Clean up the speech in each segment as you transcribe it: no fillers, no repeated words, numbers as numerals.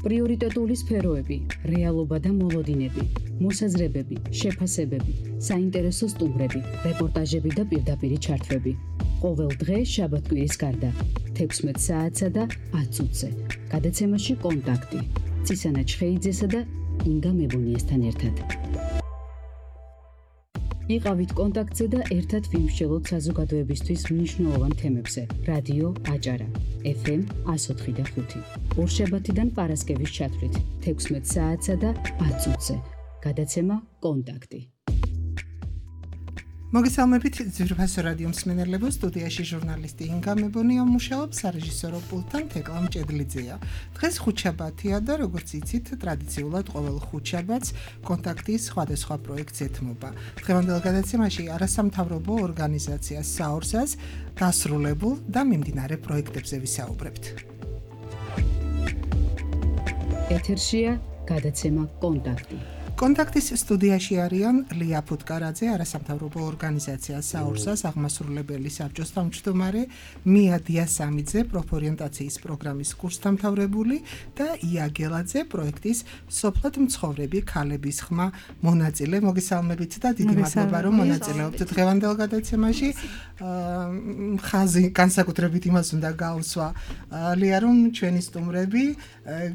პრიორიტეტული სფეროები, რეალობა და მოლოდინები, მოსაზრებები, შეფასებები, საინტერესო სტუმრები, რეპორტაჟები და პირდაპირი ჩართვები. ყოველ დღე შაბათ-კვირის გარდა 16 საათსა და 10 წუთზე. გადაცემაში კონტაქტი. ცისანა ჩხეიძესა და ინგა მებუნიესთან ერთად. იყავით კონტაქტზე და ერთად ვიმსჯელოთ საზოგადოებისთვის მნიშვნელოვან თემებზე. რადიო აჭარა, FM 104.5. ორშაბათიდან პარასკევის ჩათვლით 16 საათსა და 10 წუთზე. გადაცემა კონტაქტი. მოგესალმებით ძვირფასო რადიო მსმენელებო, სტუდიაში ჟურნალისტი ინგა მებონია მუშაობს, სარეჟისორო პულტთან თეკლა მჭედლიძეა. დღეს ხუთშაბათია და როგორც იცით, ტრადიციულად ყოველ ხუთშაბათს კონტაქტის სხვადასხვა პროექტს ეთმობა. დღევანდელ გადაცემაში არასამთავრობო ორგანიზაცია საორსას დასრულებულ და მიმდინარე პროექტებზე ვისაუბრებთ. ეთერშია გადაცემა კონტაქტი. კონტაქტის სტუდიაში არიან ლია ფუტკარაძე, არასამთავრობო ორგანიზაცია საორსას აღმასრულებელი საბჭოს თავმჯდომარე, მია დიასამიძე, პროფორიენტაციის პროგრამის კურსდამთავრებული და ია გელაძე, პროექტის სოფლად მცხოვრები ქალების ხმა მონაწილე. მოგესალმებით და დიდი მადლობა, რომ მონაწილეობთ დღევანდელ გადაცემაში. ხაზი განსაკუთრებით იმას უნდა გაუსვა, ლია, რომ ჩვენი სტუმრები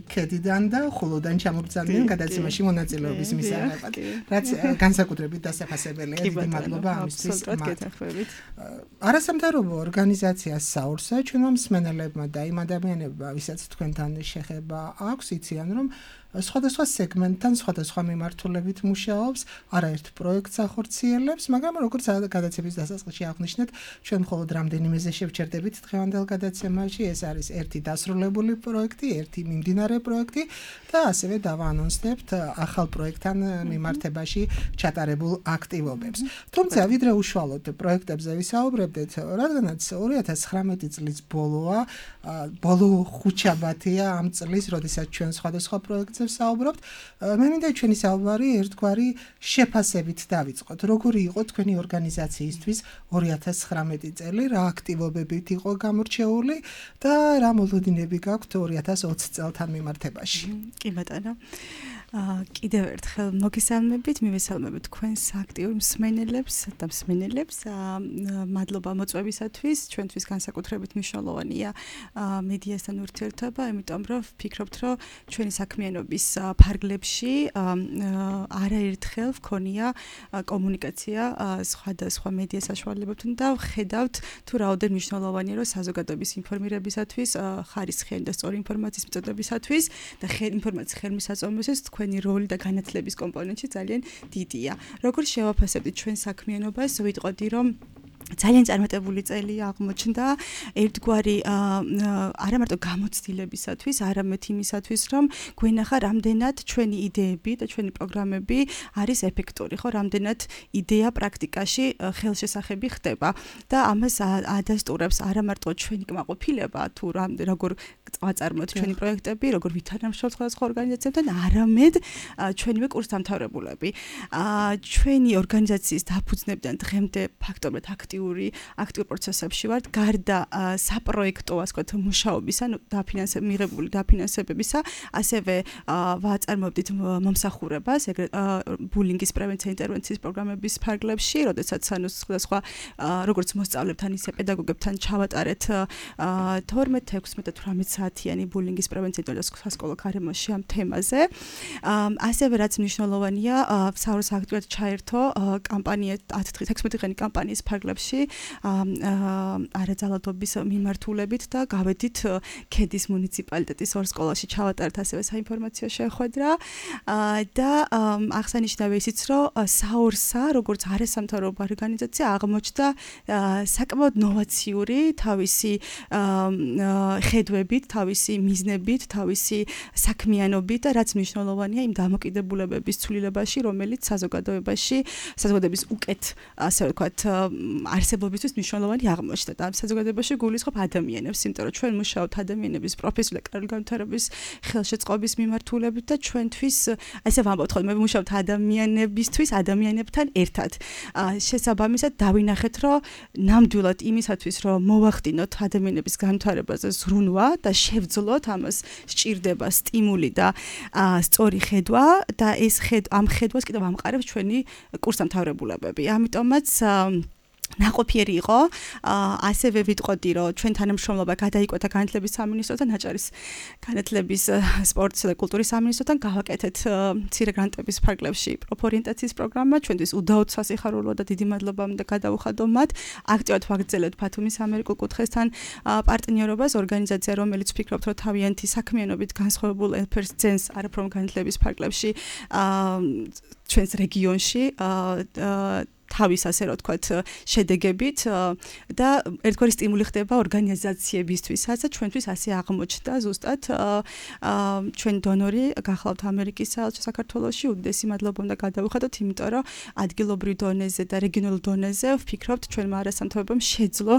ქედიდან და ხულოდან ჩამოგზავნიან გადაცემაში მონაწილეობის მისაღებად, რაც განსაკუთრებით დასაფასებელია. დიდი მადლობა ამისთვის. არასამთავრობო ორგანიზაცია საორსა ჩვენმა მსმენელებმა და იმ ადამიანებმა, ვისაც თქვენთან შეხება აქვს, იციან, რომ სხვადასხვა სეგმენტთან, სხვადასხვა მიმართულებით მუშაობს, არაერთ პროექტს ახორციელებს, მაგრამ როგორც გადაცემის დასაწყისში აღნიშნეთ, ჩვენ მხოლოდ რამდენიმეზე შევჩერდებით დღევანდელ გადაცემაში. ეს არის ერთი დასრულებული პროექტი, ერთი მიმდინარე პროექტი და ასევე დავაანონსდებთ ახალ პროექტთან მიმართებაში ჩატარებულ აქტივობებს. თუმცა ვიდრე უშუალოდ პროექტებზე ვისაუბრებდეთ, რადგანაც 2019 წლის ბოლო ხუთშაბათია ამ წლის, როდესაც ჩვენ სხვადასხვა პროექტზე ვსაუბრობთ, მე მინდა ჩვენი საუბარი ერთგვარი შეფასებით დავიწყოთ. როგორი იყო თქვენი ორგანიზაციისთვის 2019 წელი, რა აქტივობებით იყო გამორჩეული და რა მოლოდინები გაქვთ 2020 წელთან მიმართებაში? კი ბატონო. კიდევ ერთხელ მოგესალმებით, მივესალმებით თქვენს აქტიურ მსმენელებს და მსმენელებს. მადლობა მოწვევისათვის, ჩვენთვის განსაკუთრებით მნიშვნელოვანია მედიასთან ურთიერთობა, იმიტომ რომ ვფიქრობთ, რომ ჩვენი საქმიანობის ფარგლებში არაერთხელ ვქონია კომუნიკაცია სხვადასხვა მედია საშუალებებთან და ვხედავთ თუ რაოდენ მნიშვნელოვანია, რომ საზოგადოების ინფორმირებისათვის, ხარისხიანი და სწორი ინფორმაციის მიწოდებისათვის და ინფორმაციის ხელმისაწვდომისთვის თქვენი როლი და განათლების კომპონენტი ძალიან დიდია. როგორ შევაფასებთ ჩვენ საქმიანობას, ვიტყოდი რომ ძალიან წარმატებული წელი აღმოჩნდა ერთგვარი არა მარტო გამოცდილებისათვის, არამედ იმისათვის, რომ გვენახა რამდენად ჩვენი იდეები და ჩვენი პროგრამები არის ეფექტური, ხო, რამდენად იდეა პრაქტიკაში ხელშესახები ხდება და ამას ადასტურებს არა მარტო ჩვენი კმაყოფილება, თუ როგორ ვაწარმოებთ ჩვენი პროექტები, როგორ ვითანამშრომლობთ სხვადასხვა ორგანიზაციებთან, არამედ ჩვენივე კურსდამთავრებულები. ჩვენი ორგანიზაციის დაფუძნებიდან დღემდე ფაქტობრივად აქტიურ პროცესებში ვართ, გარდა საპროექტო, ასე ვთქვათ, მუშაობისა, მიღებული დაფინანსებებისა, ასევე ვაწარმოებდით მომსახურებას, ეგრეთ ბულინგის პრევენცია ინტერვენციის პროგრამების ფარგლებში, როდესაც სხვადასხვა როგორც მოსწავლეებთან, ისე პედაგოგებთან ჩავატარეთ 12, 16 და 18 საათიანი ბულინგის პრევენცია და სასკოლო გარემოში ამ თემაზე. ასევე რაც მნიშვნელოვანია, საორს აქტიურად ჩაერთო კამპანია 16 დღიანი კამპანიის ფარგლებში არაძალადობის მიმართულებით და გავედით ქედის მუნიციპალიტეტის ორ სკოლაში ჩავატარეთ ასევე საინფორმაციო შეხვედრა და აღსანიშნავია ისიც, რომ საორსა როგორც არასამთავრობო ორგანიზაცია აღმოჩნდა საკმაოდ ნოვაციური თავისი ხედვებით, თავისი მიზნებით, თავისი საქმიანობით და რაც მნიშვნელოვანია იმ დამოკიდებულებების ცვლილებაში, რომელიც საზოგადოების უკეთ, ასე ვთქვათ, არსებობისთვის მნიშვნელოვანი აღმოჩნდა და ამ საზოგადოებაში გულისხმობ ადამიანებს, იმიტომ რომ ჩვენ მუშაობთ ადამიანების პროფესიული და კარგი განვითარების ხელშეწყობის მიმართულებით და ჩვენთვის ასე ვამბობთ ხოლმე მუშაობთ ადამიანებისთვის, ადამიანებთან ერთად. შესაბამისად დავინახეთ, რომ ნამდვილად იმისათვის, რომ მოვახდინოთ ადამიანების განვითარებაზე ზრუნვა და შევძლოთ ამას სჭირდება სტიმული და სწორი ხედვა და ეს ამ ხედვას კიდევ ამყარებს ჩვენი კურსდამთავრებულებები. ამიტომაც ნაყოფიერი იყო, ასევე ვიტყოდი, რომ ჩვენ თანამშრომლობა გადაიკვეთა განათლების სამინისტროსთან, აჭარის განათლების, სპორტისა და კულტურის სამინისტროსთან, გავაკეთეთ მცირე გრანტების ფარგლებში პროფორიენტაციის პროგრამა, ჩვენთვის უდაოდ სასიხარულო და დიდი მადლობა უნდა გადავუხადო მათ. აქტიურად ვაგრძელებთ ბათუმის ამერიკულ კუთხესთან პარტნიორობას, ორგანიზაცია, რომელიც ვფიქრობთ, რომ თავიანთი საქმიანობით განსხვავებულ ელფერს ძენს არაფრომ განათლების ფარგლებში ჩვენს რეგიონში თავის ასე რომ თქვათ შედეგებით და ერთგვარი სტიმული ხდება ორგანიზაციებისთვისაც და ჩვენთვის ასე აღმოჩნდა ზუსტად ჩვენ დონორი გახლავთ ამერიკის საელჩო საქართველოში უდიდესი მადლობა უნდა გადავუხადოთ იმიტომ რომ ადგილობრივ დონეზე და რეგიონულ დონეზე ვფიქრობთ ჩვენმა არასამთავრობომ შეძლო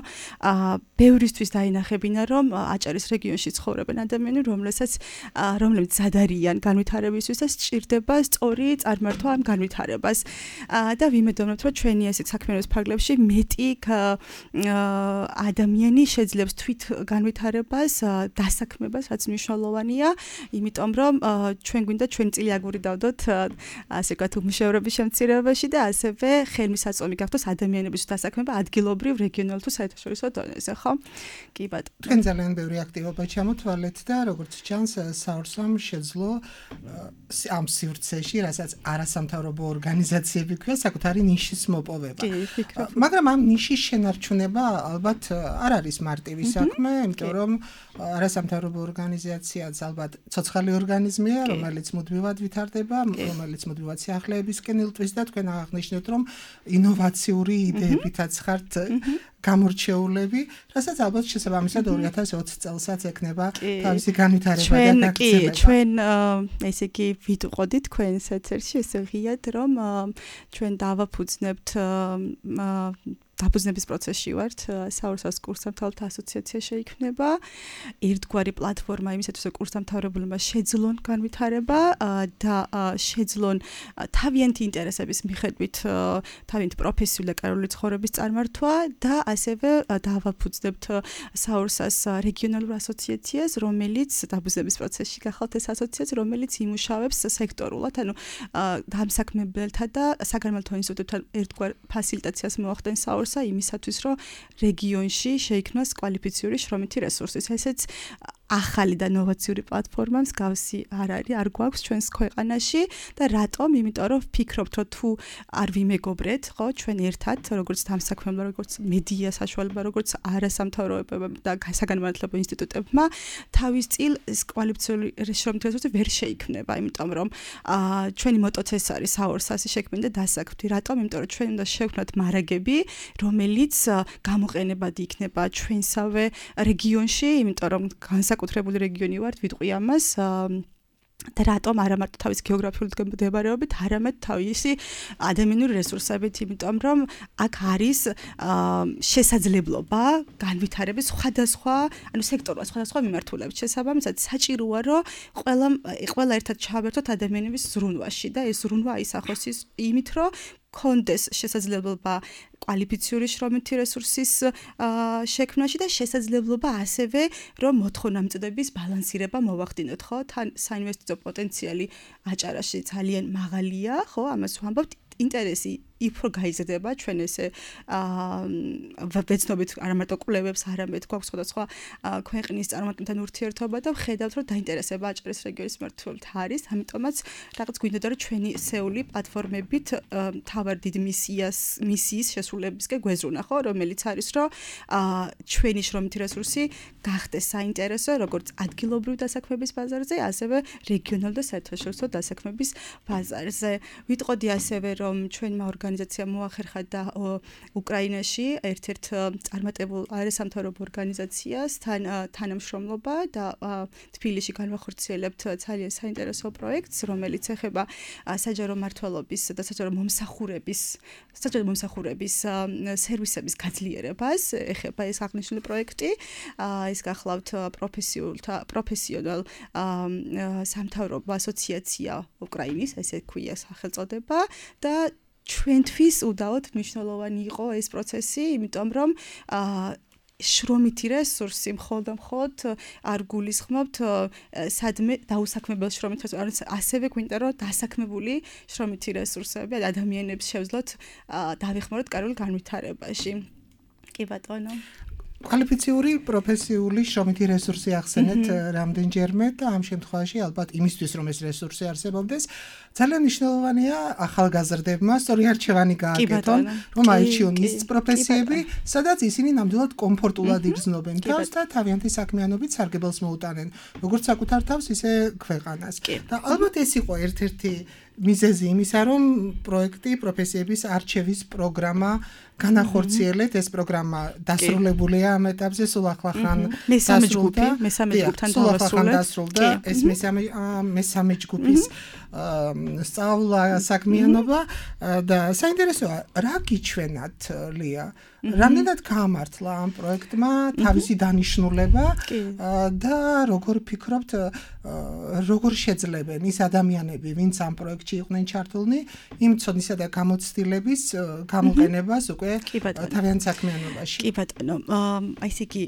ბევრისთვის დაინახებინა რომ აჭარის რეგიონში ცხოვრობენ ადამიანები რომლებიც ზადარიან განვითარებისთვის და სჭირდება სწორი წარმართვა ამ განვითარებას და ვიმედოვნებთ რომ ჩვენი ასეთ საქმიანობის ფარგლებში მეტი ადამიანი შეძლებს თვით განვითარებას, დასაქმებას, რაც მნიშვნელოვანია, იმიტომ რომ ჩვენ გვინდა ჩვენი წილი აგური დავდოთ, ასე ვთქვათ, უმუშევრობის შემცირებაში და ასევე ხელმისაწვდომი გახდოს ადამიანების დასაქმება ადგილობრივ, რეგიონულ თუ საერთაშორისო დონეზე, ხო? კი ბატონო. თქვენ ძალიან ბევრი აქტივობა ჩამოთვალეთ და როგორც ჩანს, საურსამ შეძლო ამ სივრცეში, რასაც არასამთავრობო ორგანიზაციები ქვია, საკუთარი ნიშის მოპოვება. მაგრამ ამ ნიშის შენარჩუნება ალბათ არ არის მარტივი საქმე, იმიტომ რომ არასამთავრობო ორგანიზაციაც ალბათ ცოცხალი ორგანიზმია, რომელიც მუდმივად ვითარდება, რომელიც მუდმივად სიახლეებისკენ ილტვის და თქვენ აღნიშნეთ, რომ ინოვაციური იდეებითაც ხართ გამორჩეულები, რასაც ალბათ შესაბამისად 2020 წელსაც ექნება თავისი განვითარება და გაგრძელება. ჩვენ ესე იგი ვიტყოდით თქვენს ეთერში ესე ღიად რომ ჩვენ დავაფუძნებთ დაფუძნების პროცესში ვართ, საურსას კურსდამთავრებულთა ასოციაცია შეიქმნება, ერთგვარი პლატფორმა იმისათვის, რომ კურსდამთავრებულებმა შეძლონ განვითარება და შეძლონ თავიანთი ინტერესების მიხედვით თავიანთი პროფესიული და კარიერული ცხოვრების წარმართვა და ასევე დავაფუძნებთ საურსას რეგიონალურ ასოციაციას, რომელიც დაფუძნების პროცესში გახალთ ეს ასოციაცია, რომელიც იმუშავებს სექტორულად, ანუ დამსაქმებელთა და საგანმანათლებლო ინსტიტუტებთან ერთგვარ ფასილიტაციას მოახდენს საურსა იმისათვის, რომ რეგიონში შეიქმნას კვალიფიციური შრომითი რესურსი. ესეც ახალი და ნოვაციური პლატფორმა მსგავსი არ გვაქვს ჩვენს ქვეყანაში და რატომ? იმიტომ რომ ვფიქრობთ, რომ თუ არ ვიმეგობრეთ, ხო, ჩვენ ერთად, როგორც დამსაქმებელთა, როგორც მედია საშუალება, როგორც არასამთავრობო და საგანმანათლებლო ინსტიტუტებმა თავის წილ კვალიფიციური შრომითი რესურსი ვერ შეიქმნება, იმიტომ რომ ჩვენი მოტოც ეს არის საურსასი შექმნი და დასაქმი. რატომ? იმიტომ რომ ჩვენ უნდა შევქმნათ მარაგები, რომელიც გამოყენებადი იქნება ჩვენსავე რეგიონში, იმიტომ რომ განსაკუთრებული რეგიონი ვართ, ვიტყვი ამას და რატომ არა მარტო თავის გეოგრაფიული მდებარეობით, არამედ თავისი ადამიანური რესურსებით, იმიტომ რომ აქ არის შესაძლებლობა განვითარების სხვადასხვა, ანუ სექტორულად სხვადასხვა მიმართულებით. შესაბამისად, საჭიროა, რომ ყველა ერთად ჩავერთოთ ადამიანების ზრუნვაში და ეს ზრუნვა აისახოს იმით, რომ კონდეს შესაძლებლობა კვალიფიციური შრომითი რესურსის შექმნაში და შესაძლებლობა ასევე რომ მოთხოვნამწოდების ბალანსირება მოვახდინოთ, ხო? თან საინვესტიციო პოტენციალი აჭარაში ძალიან მაღალია, ხო? ამას ვამბობთ, ინტერესი უფრო გაიზრდება ჩვენ ესე ვეცნობით არა მარტო კვლევებს, არამედ გვაქვს სხვადასხვა ქვეყნის წარმომადგენელთან ურთიერთობა და ვხედავთ, რომ დაინტერესება აჭარის რეგიონის მიმართულებით არის, ამიტომაც რაღაც გვინდოდა, რომ ჩვენი სეული პლატფორმებით თავარ დიდ მისიის შესრულებისკენ გვეზრუნა, ხო, რომელიც არის, რომ ჩვენი შრომითი რესურსი გახდეს საინტერესო, როგორც ადგილობრივ დასაქმების ბაზარზე, ასევე რეგიონულ და საერთაშორისო დასაქმების ბაზარზე. ვიტყოდი ასევე, რომ ჩვენმა ორგანიზაციამ ორგანიზაცია მოახერხა და უკრაინაში ერთ-ერთ წარმატებულ არასამთავრობო ორგანიზაციას თანამშრომლობა და თბილისში განვახორციელებთ ძალიან საინტერესო პროექტს, რომელიც ეხება საჯარო მმართველობის და საჯარო მომსახურების სერვისების გაძლიერებას. ეხება ეს აღნიშნული პროექტი. ის გახლავთ პროფესიონალ სამთავრობო ასოციაცია უკრაინის, ესე ქვია სახელწოდება და ჩვენთვის უდაოდ მნიშვნელოვანი იყო ეს პროცესი, იმიტომ რომ შრომითი რესურსი მხოლოდ არ გულისხმობთ სადმე დაუსაქმებელ შრომით, ასევე გვინდა რომ დასაქმებული შრომითი რესურსები ადამიანებს შევძლოთ დავეხმაროთ კარგულ განვითარებაში. კი ბატონო. კვალიფიციური პროფესიული შრომითი რესურსი ახსენეთ რამდენჯერმე და ამ შემთხვევაში ალბათ იმისთვის რომ ეს რესურსი არსებობდეს ძალიან მნიშვნელოვანია ახალგაზრდებმა სწორი არჩევანი გააკეთონ რომ აირჩიონ ის პროფესიები სადაც ისინი ნამდვილად კომფორტულად იგრძნობენ თავს და თავიანთი საქმიანობით სარგებელს მოუტანენ როგორც საკუთარ თავს ისე ქვეყანას და ალბათ ეს იყო ერთ-ერთი მიზეზი იმისა რომ პროექტი პროფესიების არჩევის პროგრამა განახორციელეთ ეს პროგრამა დასრულებულია ამ ეტაპზე სულ ახლახან მესამე ჯგუფთან დასრულდა ეს მესამე ჯგუფის სწავლა საქმიანობა და საინტერესოა რა გიჩვენათ ლია რამდენად გაამართლა ამ პროექტმა თავისი დანიშნულება და როგორ ფიქრობთ როგორ შეძლებენ ის ადამიანები ვინც ამ პროექტში იყვნენ ჩართულნი იმ ცოდნისა და გამოცდილების გამოყენებას უკვე თავიანთ საქმიანობაში. კი ბატონო, აი ესე იგი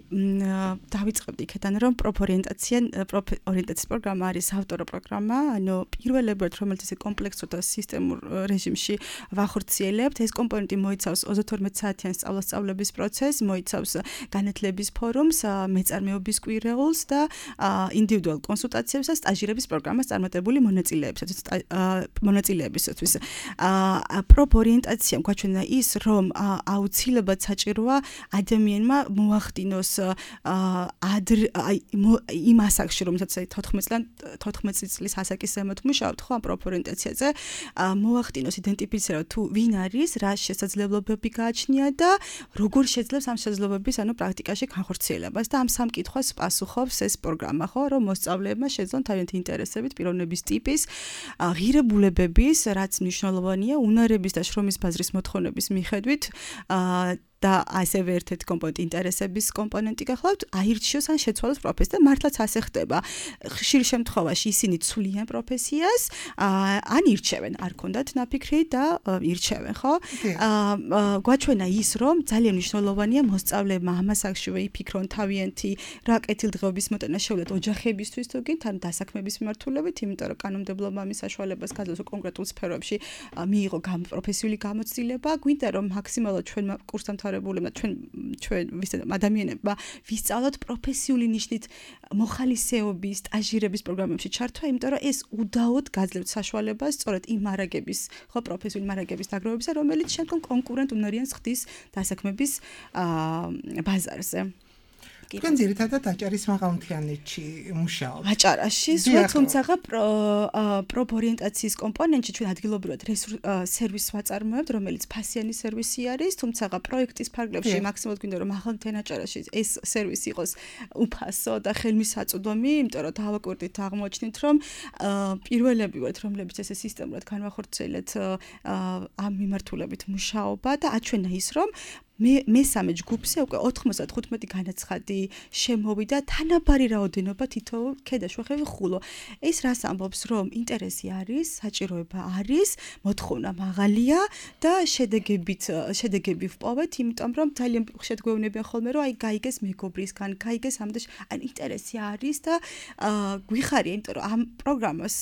დავიწყებდი იქიდან რომ პროფორიენტაციის პროგრამა არის ავტორო პროგრამა, ანუ პირველებად რომელიც ესე კომპლექსურ და სისტემურ რეჟიმში ვახორციელებთ, ეს კომპონენტი მოიცავს 32 საათიან სწავლების პროცესს, მოიცავს განათლების ფორუმს, მეწარმეობის კვირეულს და ინდივიდუალურ კონსულტაციებს და სტაჟირების პროგრამას წარმატებული მონაწილეებისთვის. პროფორიენტაციამ გვაჩვენა ის, რომ აუცილებლად საჭიროა ადამიანმა მოახდინოს იმ ასაკში, რომელსაც 14 წლის ასაკის ზემოთ მუშაობთ, ხო, ამ პროფორიენტაციაზე მოახდინოს იდენტიფიცირება თუ ვინ არის, რა შესაძლებლობები გააჩნია და როგორ შეძლებს ამ შესაძლებლობების პრაქტიკაში განხორციელებას და ამ სამ კითხვას პასუხობს ეს პროგრამა, ხო, რომ მოსწავლეებმა შეძლონ თავიანთი ინტერესებით, პიროვნების ტიპის, ღირებულებების, რაც მნიშვნელოვანია, უნარების და შრომის ბაზრის მოთხოვნების მიხედვით და ასევე ერთ-ერთი კომპონენტი ინტერესების კომპონენტი გახლავთ, აირჩიოს ან შეცვალოს პროფესია და მართლაც ასე ხდება. ხშირ შემთხვევაში ისინი ცვლიან პროფესიას, ან ირჩევენ, არ ქონდათ ნაფიქრი და ირჩევენ, ხო? გვაჩვენა ის, რომ ძალიან მნიშვნელოვანია მოსწავლეებმა ამ ასაკშივე იფიქრონ თავიანთი რა კეთილდღეობის მოტანა შეუძლოთ ოჯახებისთვის თუ გინდ, ან დასაქმების მიმართულებით, იმიტომ რომ კანონმდებლობა ამის საშუალებას გაძლევს კონკრეტულ სფეროებში მიიღო პროფესიული გამოცდილება, გვინდა რომ მაქსიმალურად ჩვენმა კურსდამთავრებლებმა ჩვენ ადამიანებმა ვისწავლოთ პროფესიული ნიშნით მოხალისეობის, სტაჟირების პროგრამებში ჩართვა, იმიტომ რომ ეს უდაოდ გაძლევთ საშუალებას სწორედ იმ მარაგების, ხო, პროფესიული მარაგების დაგროვებისა, რომელიც შემდგომ კონკურენტ უნარიანს ხდის დასაქმების ბაზარზე. თქვენ ძირითადად აჭარის მაღალმთიანეთში მუშაობთ. აჭარაში, თუმცა პროფორიენტაციის კომპონენტში ჩვენ ადგილობრივად სერვისს ვაწარმოებთ, რომელიც ფასიანი სერვისი არის, თუმცა პროექტის ფარგლებში მაქსიმალურად გვინდა რომ მაღალმთიან აჭარაში ეს სერვისი იყოს უფასო და ხელმისაწვდომი, იმიტომ რომ დავაკვირდით აღმოჩნით, რომ პირველები ვართ, რომლებიც ესე სისტემურად განვახორციელეთ ამ მიმართულებით მუშაობა და აჩვენა ის, რომ მესამე ჯგუფზე უკვე 95 განაცხადი შემოვიდა თანაბარი რაოდენობა თითოეულ ქედაშვახევი ხულო. ეს რას ამბობს, რომ ინტერესი არის, საჭიროება არის, მოთხოვნა მაღალია და შედეგები ვპოვეთ, იმიტომ რომ ძალიან ხშირად გვეუბნებიან ხოლმე, რომ აი გაიგეს მეგობრისგან, გაიგეს ამდე, ან ინტერესი არის და გვიხარია, იმიტომ რომ ამ პროგრამას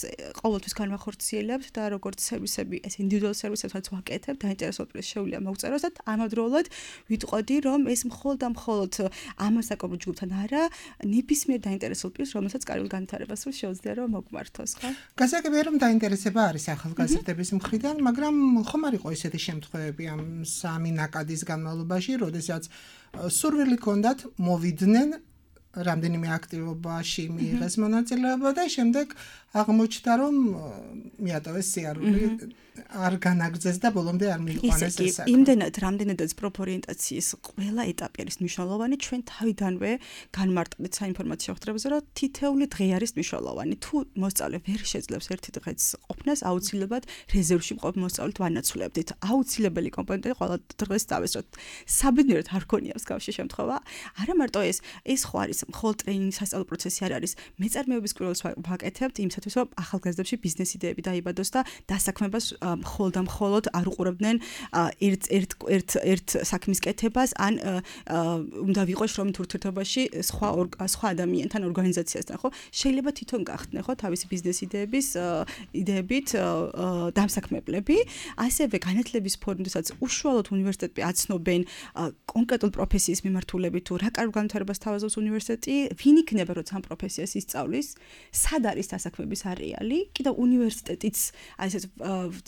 ყოველთვის განვახორციელებთ და როგორც სერვისები, ეს ინდივიდუალურ სერვისებსაც ვაკეთებ, დაინტერესებულებს შეუძლია მოგწეროს და ამავდროულად ვიტყოდი, რომ ეს მხოლოდ ამასაკობრივ ჯგუფთან არა, ნებისმიერ დაინტერესებულ პირს, რომელსაც კარგულ განვითარებას შეუძლია რომ მოგმართოს, ხო? გასაგებია, რომ დაინტერესება არის ახალგაზრდების მხრიდან, მაგრამ ხომ არ იყო ესეთი შემთხვევები ამ სამი ნაკადის განმავლობაში, როდესაც სურვილი ჰქონდათ მოვიდნენ რამდენიმე აქტივობაში მიიღეს მონაწილეობა და შემდეგ აღმოჩნდა რომ მიატოვეს სიარული არ განაგრძეს და ბოლომდე არ მიიყვანეს ეს საქმე. იმდენად რამდენადაც პროფორიენტაციის ყველა ეტაპი არის მნიშვნელოვანი, ჩვენ თავიდანვე განმარტებით საინფორმაციო ხდრებზე, რომ თითეული დღე არის მნიშვნელოვანი. თუ მოსწავლე ვერ შეძლებს ერთი დღეც ყოფნას, აუცილებლად რეზერვში მყოფ მოსწავლეთ ვანაცვლებდით. აუცილებელი კომპონენტია ყველა დღეს დავესწროთ. საბედნიეროდ არ გქონია მსგავსი შემთხვევა. არა მარტო ეს ხო არის მხოლოდ ტრეინინგის სასწავლო პროცესი არ არის. მეწარმეობის კვლევას ვაკეთებთ იმისათვის, რომ ახალგაზრდებში ბიზნეს იდეები დაიბადოს და დასაქმებას მხოლოდ არ უყურებდნენ ერთ საქმის კეთებას ან უნდა ვიყოს შრომით ურთიერთობაში სხვა ადამიანთან ორგანიზაციასთან, ხო? შეიძლება თვითონ გახდნენ, ხო, თავისი ბიზნეს იდეებით დამსაქმებლები, ასევე განათლების ფორმისას უშუალოდ უნივერსიტეტები აცნობენ კონკრეტულ პროფესიის მიმართულებით თუ რა კარგ განვითარებას თავაზობს უნივერსიტეტი, ვინ იქნება როცა ამ პროფესიას ისწავლის, სად არის დასაქმების არეალი, კიდევ უნივერსიტეტიც ასეთ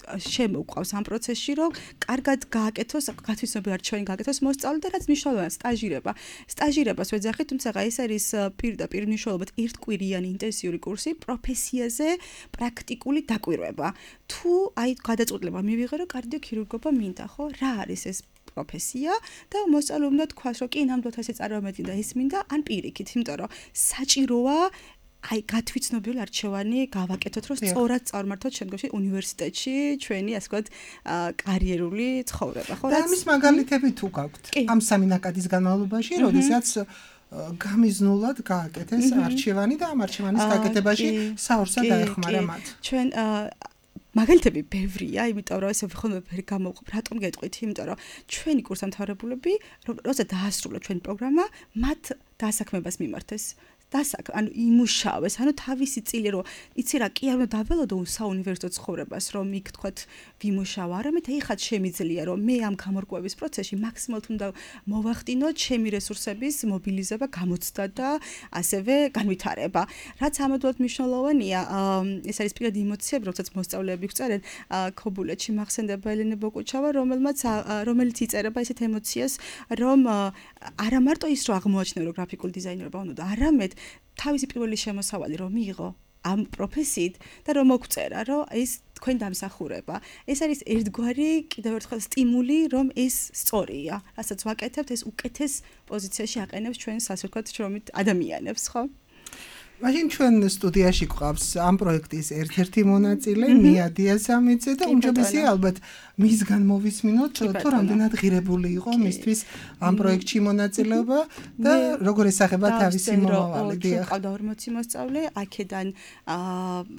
შემოუყვავს ამ პროცესში, რომ კარგად გააკეთოს, გათვისებები არჩევანი გააკეთოს მოსწავლე და რაც მნიშვნელოვანია, სტაჟირება. სტაჟირებას ვეძახით, თუმცა ეს არის პირდაპირ მნიშვნელობად ერთკვირიანი ინტენსიური კურსი პროფესიაზე პრაქტიკული დაკვირვება. თუ გადაწყვეტილება მივიღე, რომ კარდიოქირურგობა მინდა, ხო? რა არის ეს პროფესია და მოსწავლე უნდა თქვას, რომ კი ნამდვილად ესე წარმოვედგინე და ეს მინდა, ან პირიქით, იმიტომ რომ საჭიროა გათვითცნობილი არჩევანი გავაკეთოთ, რომ სწორად წარმართოთ შემდგომში უნივერსიტეტში ჩვენი ასე ვთქვათ კარიერული ცხოვრება, ხო? და ამის მაგალითები თუ გაქვთ ამ სამი ნაკადის განმავლობაში, როდესაც გამიზნულად გააკეთეს არჩევანი და ამ არჩევანის გაკეთებაში საორსა დაეხმარა მათ. ჩვენ მაგალითები ბევრია, იმიტომ რომ ესე ვიხოვნებ ვერ გამოვყვებ, რატომ გეტყვით? იმიტომ რომ ჩვენი კურსდამთავრებულები, როცა დაასრულა ჩვენი პროგრამა, მათ დასაქმებას მიმართეს. ანუ იმუშავეს, ანუ თავისი წილი რომ იცი რა, კი არ უნდა დაველოდო საუნივერსიტეტო ცხოვრებას, რომ იქ თქვათ ვიმუშავა, არამედ ეხლა შემიძლია რომ მე ამ გამორკვევის პროცესში მაქსიმალურად უნდა მოვახდინო ჩემი რესურსების მობილიზება, გამოცდა და ასევე განვითარება. რაც ამოდოთ მნიშვნელოვანია, ეს არის პირადი ემოციები, როდესაც მოსწავლეები გვწერენ, ქობულეთში მახსენდება ელენე ბოკუჩავა, რომელიც იწერება ესეთ ემოციას, რომ არა მარტო ის რომ აღმოაჩნდა რომ გრაფიკული დიზაინერობა უნდა, არამედ თავისი პირველი შემოსავალი რომ მიიღო ამ პროფესიით და რომ მოგწერა რომ ეს თქვენ დამსახურება. ეს არის ერთგვარი კიდევ ერთხელ სტიმული რომ ეს სწორია. რასაც ვაკეთებთ ეს უკეთეს პოზიციაში აყენებს ჩვენს ასე ვთქვათ შრომით ადამიანებს, ხო? მაშინ ჩვენ სტუდიაში გვყავს ამ პროექტის ერთ-ერთი მონაწილე მია დიასამიძე და უმჯობესია ალბათ მისგან მოვისმინოთ თუ რამდენად ღირებული იყო მისთვის ამ პროექტში მონაწილეობა და როგორ ესახება თავისი მომავალი. დიახ. ყავდა 40 მოსწავლე, აქედან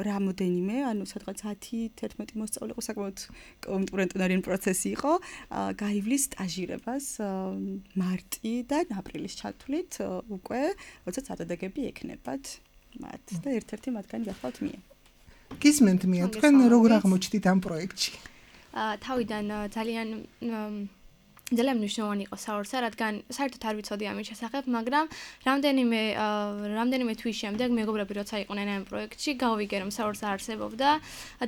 რამოდენიმე, ანუ სადღაც 10-11 მოსწავლე იყო, საკმაოდ კონკურენტული პროცესი იყო, გაივლის სტაჟირებას მარტიდან აპრილის ჩათვლით უკვე, როდესაც ადაგები ექნებათ. მათ და ერთ-ერთი მათგანი გახლავთ მია. გისმენთ მია, თქვენ როგორ აღმოჩნდით ამ პროექტში? თავიდან ძალიან მნიშვნელოვანი იყო საორსა, რადგან საერთოდ არ ვიცოდი ამის შესახებ, მაგრამ რამდენიმე თვის შემდეგ მეგობრები როცა იყვნენ ამ პროექტში, გავიგე რომ საორსა არსებობდა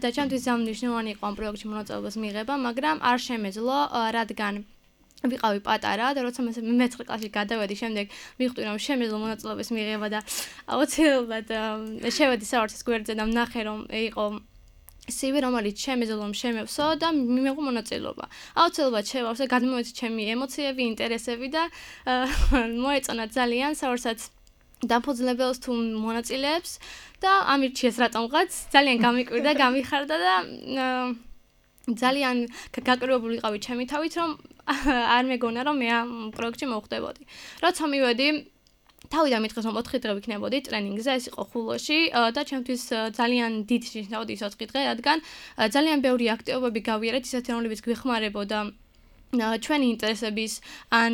და ჩემთვის ძალიან მნიშვნელოვანი იყო ამ პროექტში მონაწილეობის მიღება, მაგრამ არ შემეძლო, რადგან ვიყავი პატარა და როცა მე-9 კლასში გადავედი, შემდეგ მივხვდი რომ შემეძლო მონაწილეობის მიღება და აუცილებლად შევედი საორსის გვერდზე და ვნახე რომ იყო CV რომელიც შემეძლო შემევსო და მიმეღო მონაწილეობა. აუცილებლად შევავსე, გადმოვეცი ჩემი ემოციები, ინტერესები და მოეწონა ძალიან საორსაც დაფუძნებელს თუ მონაწილეებს და ამირჩიეს რატომღაც ძალიან გამიკვირდა, გამიხარდა და ძალიან გაკრებებული ვიყავი ჩემი თავით რომ არ მეგონა რომ მე ამ პროექტში მოვხდებოდი. როცა მივედი თავიდან მითხეს რომ 4 დღე ვიქნებოდი ტრენინგზე, ეს იყო ხულოში და ჩემთვის ძალიან დიდი ნიშნავდა ის 4 დღე, რადგან ძალიან ბევრი აქტივობები გავიარეთ, ისეთი რომლებიც გვეხმარებოდა ჩვენი ინტერესების ან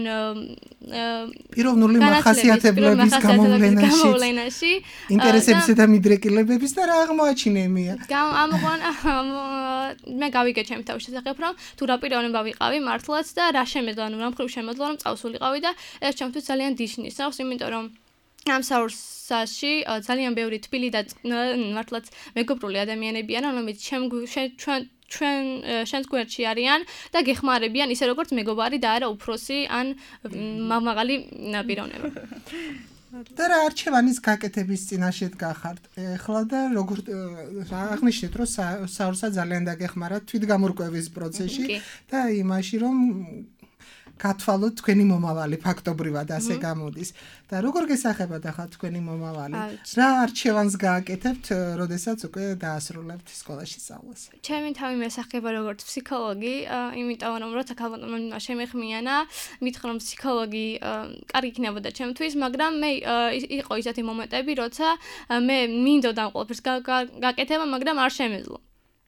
პიროვნული მახასიათებლების გამოვლენაში ინტერესებისა და მიდრეკილებების და რა აღმოაჩინე მია. მე გავიგე ჩემი თავის შესახებ რომ თუ რა პიროვნება ვიყავი მართლაც და რა შემეძლო, ანუ რა მხრივ შემეძლო რომ წავსულიყავი და ეს ჩემთვის ძალიან ნიშნავს, იმიტომ რომ ამ საორსაში ძალიან ბევრი თბილი და მართლაც მეგობრული ადამიანები არიან, რომლებიც შენს გვერდში არიან და გეხმარებიან ისე როგორც მეგობარი და არა უფროსი ან მაღალი პიროვნება. და რა არჩევანის გაკეთების წინაშე გახართ ახლა და როგორ აღნიშნეთ რომ საურსა ძალიან დაგეხმარათ თვითგამორკვევის პროცესში და იმაში რომ გათვალოთ თქვენი მომავალი ფაქტობრივად ასე გამოდის და როგორ გესახებათ ახლა თქვენი მომავალი რა არჩევანს გააკეთებთ როდესაც უკვე დაასრულებთ სკოლაში სწავლას ჩემი თავი მესახება როგორც ფსიქოლოგი იმიტომ რომ როცა ქალბატონმა შემეხმიანა მითხრა რომ ფსიქოლოგი კარგი იქნებოდა ჩემთვის მაგრამ მე იყო ისეთი მომენტები როცა მე მინდოდა ყველაფერს გაკეთება მაგრამ არ შემეძლო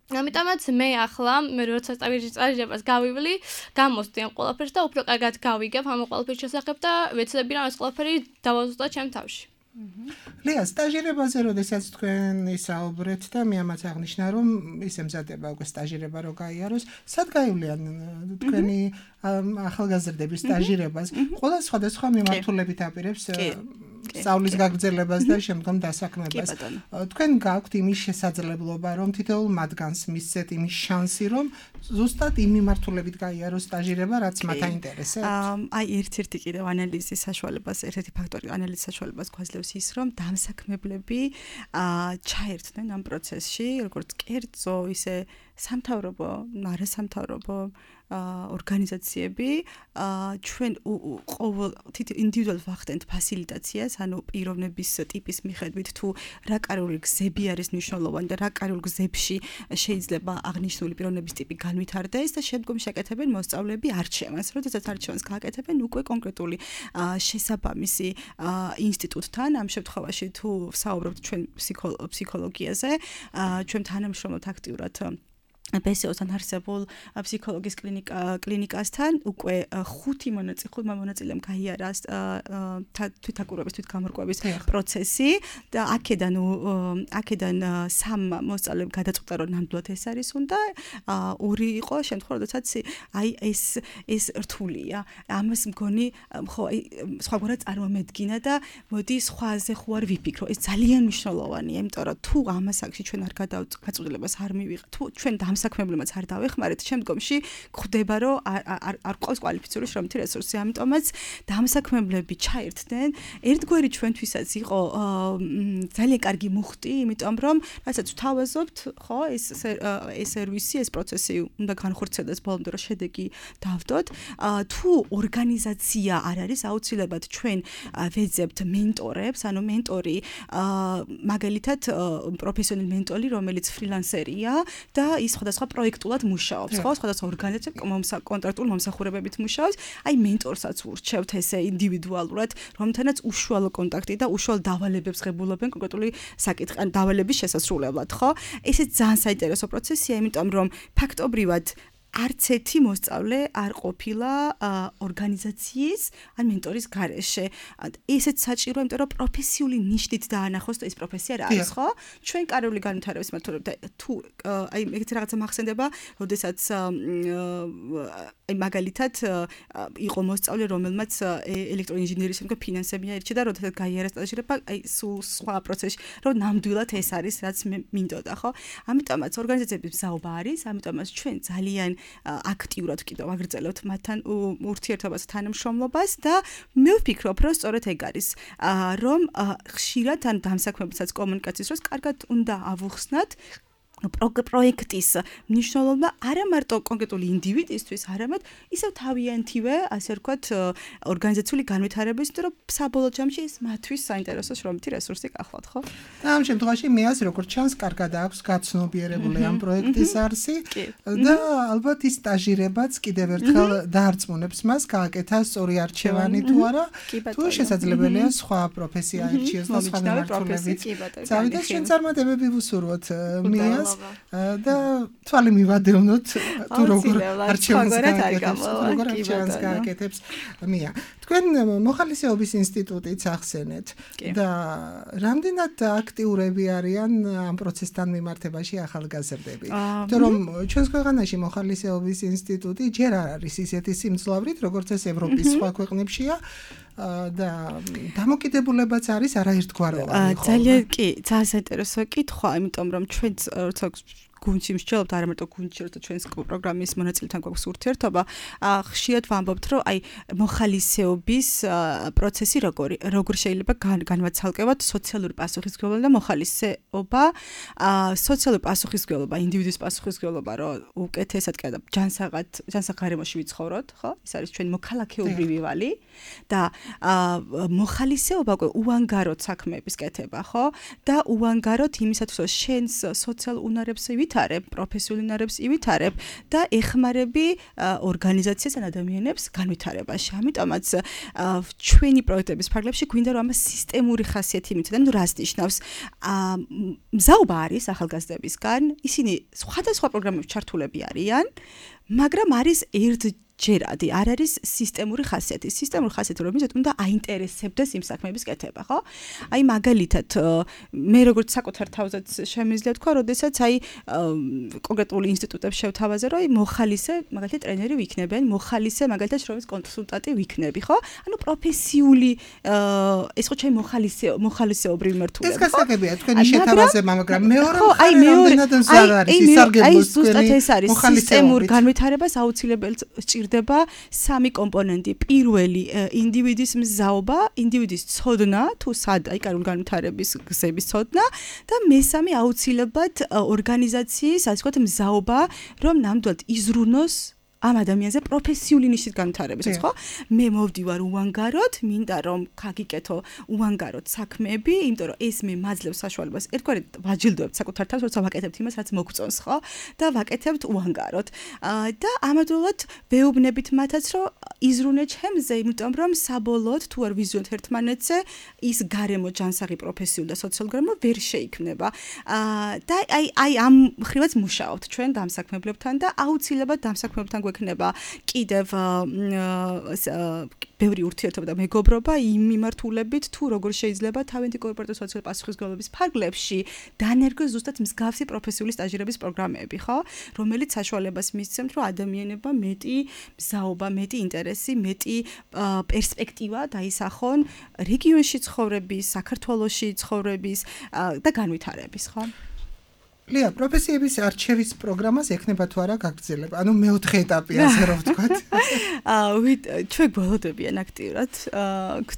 ამიტომაც მე ახლა როცა სწავლებას გავივლი, გამოსდი ამ ყველაფერს და უფრო კარგად გავიგებ ამ ყველაფრის შესახებ და ვეცდები რომ ეს ყველაფერი დავაზუსტო ჩემ თავში. ლია, სტაჟირებაზე როდესაც თქვენ ისაუბრეთ და მე ამაც აღნიშნა რომ ის ემზადება უკვე სტაჟირება რო გაიაროს, სად გაივლიან თქვენი ახალგაზრდების სტაჟირებას? ყველა სხვადასხვა მიმართულებით აპირებს სწავლის გაგრძელებას და შემდგომ დასაქმებას. თქვენ გაქვთ იმის შესაძლებლობა, რომ თითოეულ მათგანს მისცეთ იმის შანსი, რომ ზუსტად იმ მიმართულებით გაიაროს სტაჟირება, რაც მათ აინტერესებს? აი, ერთ-ერთი კიდევ ანალიზის საშუალებას, ერთ-ერთი ფაქტორი ანალიზის საშუალებას გვაძლევს ის, რომ დამსაქმებლები ჩაერთდნენ ამ პროცესში, როგორც კერძო, ისე სამთავრობო, არასამთავრობო ორგანიზაციები ჩვენ ყოველ ინდივიდუალ ვახდენთ ფასილიტაციას, ანუ პიროვნების ტიპის მიხედვით თუ რა კარული გზები არის მნიშვნელოვანი და რა კარულ გზებში შეიძლება აღნიშნული პიროვნების ტიპი განვითარდეს და შემდგომ შეკეთებენ მოსწავლეები არჩევანს. როდესაც არჩევანს გააკეთებენ, უკვე კონკრეტული შესაბამისი ინსტიტუტთან, ამ შემთხვევაში თუ ვსაუბრობთ ჩვენ ფსიქოლოგიაზე, ჩვენ თანამშრომლობთ აქტიურად PSO-თან არსებულ ფსიქოლოგიის კლინიკასთან უკვე 5 მონაწილემ გაიარა თვითაკურების თვითგამორკვევის პროცესი და აქედან 3 მოსწავლემ გადაწყვიტა რომ ნამდვილად ეს არის უნდა 2 იყო შემთხვევა როდესაც აი ეს რთულია ამას მგონი ხო სხვაგვარად წარმომედგინა და მოდი სხვაზე ხო არ ვიფიქრო ეს ძალიან მნიშვნელოვანია იმიტომ რომ თუ ამას აქში ჩვენ არ გადაწყვეტილებას არ მივიღეთ თუ ჩვენ საქმებლებმაც არ დავეხმარეთ, შემდგომში გვხვდება, რომ არ ყავს კვალიფიციური შრომითი რესურსი. ამიტომაც დამსაქმებლები ჩაერთდნენ. ერთგვარი ჩვენთვისაც იყო ძალიან კარგი მუხტი, იმიტომ რომ რასაც ვთავაზობთ, ხო, ეს სერვისი, ეს პროცესი უნდა განხორციელდეს ბოლომდე, რომ შედეგი დავდოთ. თუ ორგანიზაცია არ არის, აუცილებლად ჩვენ ვეძებთ მენტორებს, ანუ მენტორი მაგალითად პროფესიონალი მენტორი, რომელიც ფრილანსერია და ის სხვადასხვა პროექტულად მუშაობს, ხო? სხვადასხვა ორგანიზაციები კონტრაქტულ მომსახურებებით მუშაობს. აი მენტორსაც ურჩევთ ესე ინდივიდუალურად, რომთანაც უშუალო კონტაქტი და უშუალო დავალებებს ღებულობენ კონკრეტული საკითხი, ან დავალების შესასრულებლად, ხო? ესეც ძალიან საინტერესო პროცესია, იმიტომ რომ ფაქტობრივად არც ერთი მოსწავლე არ ყოფილა ორგანიზაციის ან მენტორის გარეშე. ესეც საჭიროა, იმიტომ რომ პროფესიული ნიშნით დაანახოს და ეს პროფესია რა არის, ხო? ჩვენ კარული განვითარების მეთოდები თუ აი ეგეთი რაღაცა მახსენდება, როდესაც აი მაგალითად იყო მოსწავლე, რომელმაც ელექტროინჟინერიის შემდგომ ფინანსები აირჩია და როდესაც გაიარა სტაჟირება, აი სულ სხვა პროცესში, რომ ნამდვილად ეს არის, რაც მე მინდოდა, ხო? ამიტომაც ორგანიზაციების მზაობა არის, ამიტომაც ჩვენ ძალიან აქტიურად კიდევ აგრძელებთ მათთან ურთიერთობას თანამშრომლობას და მე ვფიქრობ, რომ სწორედ ეგ არის, რომ ხშირად ან დამსაქმებელსაც კომუნიკაციის დროს კარგად უნდა ავუხსნათ პროექტის მნიშვნელობა არა მარტო კონკრეტული ინდივიდისთვის, არამედ ისევ თავიანთივე, ასე ვთქვათ, ორგანიზაციული განვითარების, რომ საბოლოო ჯამში ეს მათთვის საინტერესო შრომითი რესურსი გახლავთ, ხო? და ამ შემთხვევაში მეას როგორც ჩანს, კარგად აქვს გაცნობიერებული ამ პროექტის არსი და ალბათ ის სტაჟირებაც კიდევ ერთხელ დაარწმუნებს მას გააკეთა სწორი არჩევანი თუ არა, თუ შესაძლებელია სხვა პროფესია აირჩიოს და სხვა მიმართულებით. წავიდეს ჩვენ წარმატებები ვუსურვოთ მეას და თვალი მივადევნოთ თუ როგორ არჩევანს გააკეთებს მია. თქვენ მოხალისეობის ინსტიტუტიც ახსენეთ და რამდენად აქტიურები არიან ამ პროცესთან მიმართებაში ახალგაზრდები? იმიტომ რომ ჩვენს ქვეყანაში მოხალისეობის ინსტიტუტი ჯერ არ არის ისეთი სიმძლავრით, როგორც ეს ევროპის სხვა ქვეყნებშია. და დამოკიდებულებაც არის არაერთგვაროვანი, ხო? ძალიან კი, ძალიან საინტერესო კითხვა, იმიტომ რომ ჩვენ როცა გუნდში მსჯელობთ, არა მარტო გუნდში, როცა ჩვენს პროგრამის მონაწილეთან გვაქვს ურთიერთობა, ხშირად ვამბობთ, რომ აი მოხალისეობის პროცესი როგორ შეიძლება განვაცალკევოთ სოციალური პასუხისმგებლობა და მოხალისეობა, სოციალური პასუხისმგებლობა, ინდივიდის პასუხისმგებლობა, რომ უკეთესად და ჯანსაღ გარემოში ვიცხოვროთ, ხო? ეს არის ჩვენი მოქალაქეობრივი ვალი და მოხალისეობა უკვე უანგაროდ საქმეების კეთება, ხო? და უანგაროდ იმისათვის, რომ შენს სოციალურ უნარებს ივითარებ, პროფესიულ უნარებს ივითარებ და ეხმარები ორგანიზაციას ან ადამიანებს განვითარებაში. ამიტომაც ჩვენი პროექტების ფარგლებში გვინდა რომ ამას სისტემური ხასიათი მიცოდეთ, ანუ რას ნიშნავს? მზაობა არის ახალგაზრდებისგან, ისინი სხვადასხვა პროგრამებში ჩართულები არიან, მაგრამ არის ერთჯერადი, არ არის სისტემური ხასიათი. სისტემური ხასიათი რომ მიცოთ, უნდა აინტერესებდეს იმ საქმეების კეთება, ხო? აი მაგალითად, მე როგორც საკუთარ თავზეც შემიძლია თქვა, როდესაც აი კონკრეტული ინსტიტუტებში შევთავაზე, რომ აი მოხალისე, მაგალითად ტრენერი ვიქნებიან, მოხალისე, მაგალითად შრომის კონსულტანტი ვიქნები, ხო? ანუ პროფესიული ეს ხო ჩემი მოხალისეობრივი მართულება. ეს გასაგებია თქვენი შეთავაზე, მაგრამ მეორე რამდენად მზარ არის ისარგებლოს ზუსტად ეს არის სისტემურ განვითარებას აუცილებლად სჭირდება სამი კომპონენტი. პირველი ინდივიდის მზაობა, ინდივიდის ცოდნა, თუ სად აი კარგული განვითარების გზების ცოდნა და მესამე აუცილებლად ორგანიზაციის, ასე ვთქვათ, მზაობა, რომ ნამდვილად იზრუნოს ამ ადამიანზე პროფესიული ნიშნის განვითარებას, ხო? მე მოვდივარ უანგაროდ, მინდა რომ გაგიკეთო უანგაროდ საქმეები, იმიტომ რომ ეს მე მაძლევს საშუალებას ერთგვარად ვაჯილდოებთ საკუთარ თავს, როცა ვაკეთებთ იმას, რაც მოგწონს, ხო? და ვაკეთებთ უანგაროდ. და ამავდროულად ვეუბნებით მათაც, რომ იზრუნე ჩემზე, იმიტომ რომ საბოლოოდ თუ არ ვიზიოთ ერთმანეთზე, ის გარემო ჯანსაღი პროფესიული და სოციალური გარემო ვერ შეიქმნება. და აი ამ ხრივაც მუშაობთ ჩვენ დამსაქმებლებთან და აუცილებლად დამსაქმებლებთან გვექნება კიდევ ბევრი ურთიერთობა და მეგობრობა იმ მიმართულებით, თუ როგორ შეიძლება თავიანთი კორპორატიული სოციალური პასუხისმგებლობის ფარგლებში დანერგოს ზუსტად მსგავსი პროფესიული სტაჟირების პროგრამები, ხო? რომელიც საშუალებას მისცემთ, რომ ადამიანებმა მეტი მზაობა, მეტი ინტერესი, მეტი პერსპექტივა დაისახონ რეგიონში ცხოვრების, საქართველოში ცხოვრების და განვითარების, ხო? ლია, პროფესიების არჩევის პროგრამას ექნება თუ არა გაგრძელება? ანუ მეოთხე ეტაპი, ასე რომ ვთქვათ. ჩვენ გველოდებიან აქტიურად.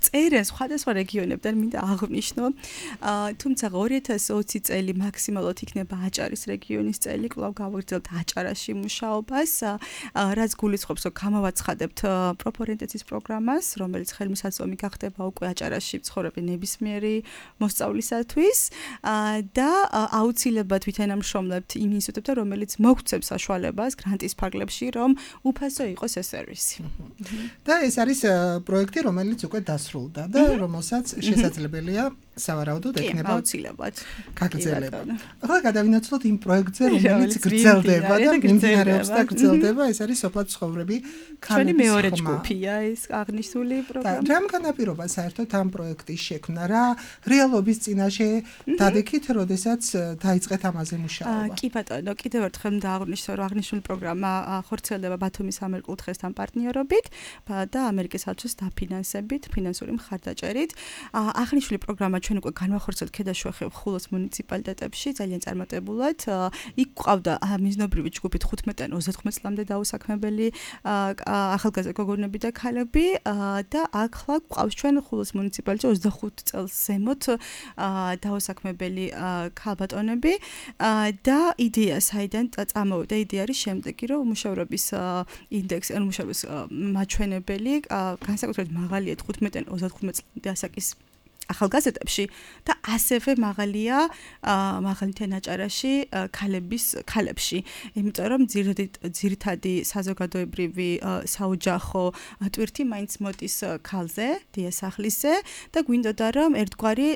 წერენ სხვადასხვა რეგიონებიდან, მინდა აღვნიშნო. თუმცა 2020 წელი მაქსიმალურად იქნება აჭარის რეგიონის წელი, კვლავ გავაგრძელებთ აჭარაში მუშაობას, რაც გულისხმობს, რომ გამოვაცხადებთ პროფორიენტაციის პროგრამას, რომელიც ხელმისაწვდომი გახდება უკვე აჭარაში მცხოვრები ნებისმიერი მოსწავლისათვის და აუცილებლად თანამშრომლებთ იმ ინსტიტუტებთან, რომელიც მოგცემს საშუალებას გრანტის ფარგლებში, რომ უფასო იყოს ეს სერვისი. და ეს არის პროექტი, რომელიც უკვე დასრულდა და რომელსაც შესაძლებელია სავარაუდოდ ექნება აუცილებლად გაგრძელება. ახლა გადავინაცვლოთ იმ პროექტზე, რომელიც გრძელდება და მიმდინარეობს და გრძელდება, ეს არის სოფლად ცხოვრები ჩვენი მეორე ჯგუფია ეს აღნიშნული პროგრამა. რამ განაპირობა საერთოდ ამ პროექტის შექმნა? რა რეალობის წინაშე დადექით, როდესაც დაიწყეთ ამაზე მუშაობა? კი ბატონო, კიდევ ერთხელ დააღვნიშნო, რომ აღნიშნული პროგრამა ხორციელდება ბათუმის სამერყულთხესთან პარტნიორობით და ამერიკის საელჩოს დაფინანსებით, ფინანსური მხარდაჭერით. აღნიშნული პროგრამა ჩვენ უკვე განვახორციელებთ ქედაშუახევ ხულოს მუნიციპალიტეტებში ძალიან წარმატებულად. იქ ყავდა მიზნობრივი ჯგუფით 15-დან 30 წლამდე დაუსაქმებელი ახალგაზრდა გოგონები და ქალები და ახლა ყავს ჩვენ ხულოს მუნიციპალიტეტში 25 წელს ზემოთ დაუსაქმებელი ქალბატონები და იდეა საიდან წამოვიდა? იდეა არის შემდეგი, რომ უმუშევრობის ინდექსი, ანუ უმუშევრობის მაჩვენებელი განსაკუთრებით მაღალია 15-დან 35 წლამდე ასაკის ახალგაზრდებში და ასევე მაღალია მაღალითიან აჭარაში ქალებში. იმიტომ რომ ძირითადი საზოგადოებრივი საოჯახო ტვირთი მაინც მოდის ქალზე, დიასახლისზე და გვინდოდა რომ ერთგვარი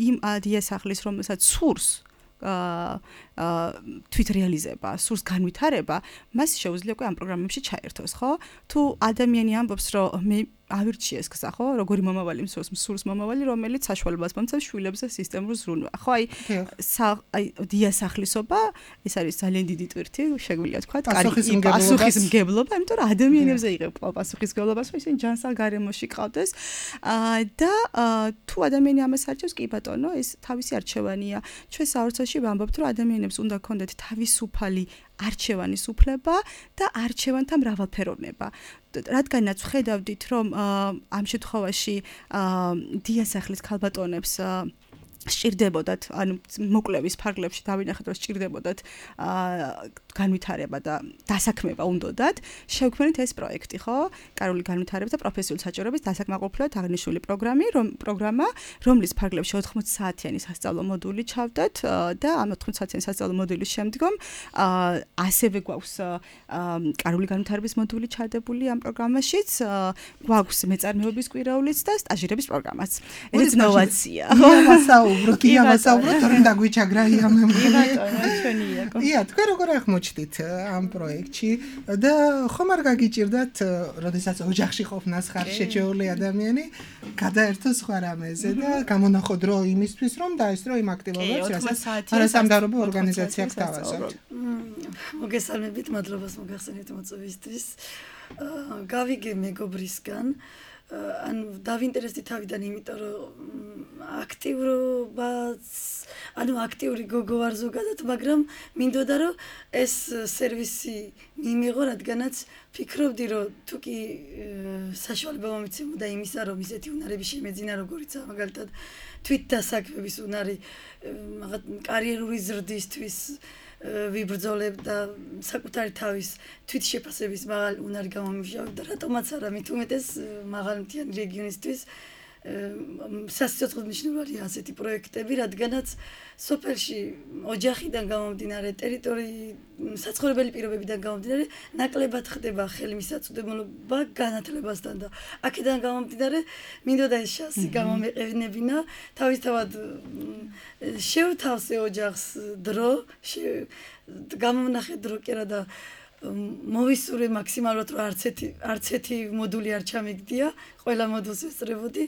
იმ დიასახლის რომელსაც სურს თვითრეალიზება, სურს განვითარება, მას შეუძლია უკვე ამ პროგრამებში ჩაერთოს, ხო? თუ ადამიანი ამბობს, რომ მე ავირჩიეს გზა, ხო? როგორი მომავალი მსურს მომავალი, რომელიც საშუალებას მომცემს შვილებზე სისტემურ ზრუნვა. ხო, აი დიასახლისობა, ეს არის ძალიან დიდი ტვირთი, შეგვიძლია თქვა, პასუხისმგებლობა, იმიტომ რომ ადამიანებზე იღებ პასუხისმგებლობას, რომ ისინი ჯანსაღ გარემოში ყავდეს. და თუ ადამიანი ამას არჩევს, კი ბატონო, ეს თავისი არჩევანია. ჩვენ საოცრაში ვამბობთ, რომ ადამიანებს უნდა ქონდეთ თავისუფალი არჩევანის უფლება და არჩევანთა მრავალფეროვნება. რადგანაც ვხედავდით, რომ ამ შემთხვევაში დიასახლის ქალბატონებს სჭირდებოდათ, ანუ მოკლევის ფარგლებში დავინახეთ, რომ სჭირდებოდათ განვითარება და დასაქმება უნდათ, შევქმნით ეს პროექტი, ხო? კარული განვითარება და პროფესიული საჭიროების დასაკმაყოფილებლად აღნიშნული პროგრამა, რომლის ფარგლებში 80 საათიანი სასწავლო მოდული ჩავდათ და ამ 80 საათიანი სასწავლო მოდულის შემდგომ ასევე გვაქვს კარული განვითარების მოდული ჩადებული ამ პროგრამაშიც, გვაქვს მეწარმეობის კვირაულიც და სტაჟირების პროგრამაც. ეს ნოვაცია. ვასაუბროთ, თორემ დაგვიჩაგრა იამემ. ია, თქვენ როგორ აღმოჩნდით ამ პროექტში და ხომ არ გაგიჭირდათ, როდესაც ოჯახში ყოფნას ხარ შეჩეული ადამიანი, გადაერთო სხვა რამეზე და გამონახო დრო იმისთვის, რომ დაესწრო იმ აქტივობებს, რასაც არასამთავრობო ორგანიზაცია გთავაზობთ. მოგესალმებით, მადლობას მოგახსენეთ მოწვევისთვის. გავიგე მეგობრისგან ანუ დავინტერესდი თავიდან, იმიტომ რომ აქტიური გოგო ვარ ზოგადად, მაგრამ მინდოდა რომ ეს სერვისი მიიღო, რადგანაც ფიქრობდი, რომ თუ კი საშუალება მომიცემოდა იმისა, რომ ისეთი უნარები შემეძინა, როგორიცაა მაგალითად თვითდასაქმების უნარი, კარიერული ზრდისთვის ვიბრძოლებ და საკუთარი თავის თვითშეფასების მაღალი უნარი გამომივშავებ და რატომაც არა, მით უმეტეს მაღალმთიანი რეგიონისთვის სასიცოცხლოდ მნიშვნელოვანია ასეთი პროექტები, რადგანაც სოფელში ოჯახიდან გამომდინარე, საცხოვრებელი პირობებიდან გამომდინარე, ნაკლებად ხდება ხელმისაწვდომობა განათლებასთან და აქედან გამომდინარე, მინდოდა ეს შანსი გამომეყენებინა, თავისთავად შევთავსე ოჯახს დრო, გამოვნახე დრო კერა და მოვისურვე მაქსიმალურად, რომ არც ერთი მოდული არ ჩამიგდია, ყველა მოდულს ვესწრებოდი.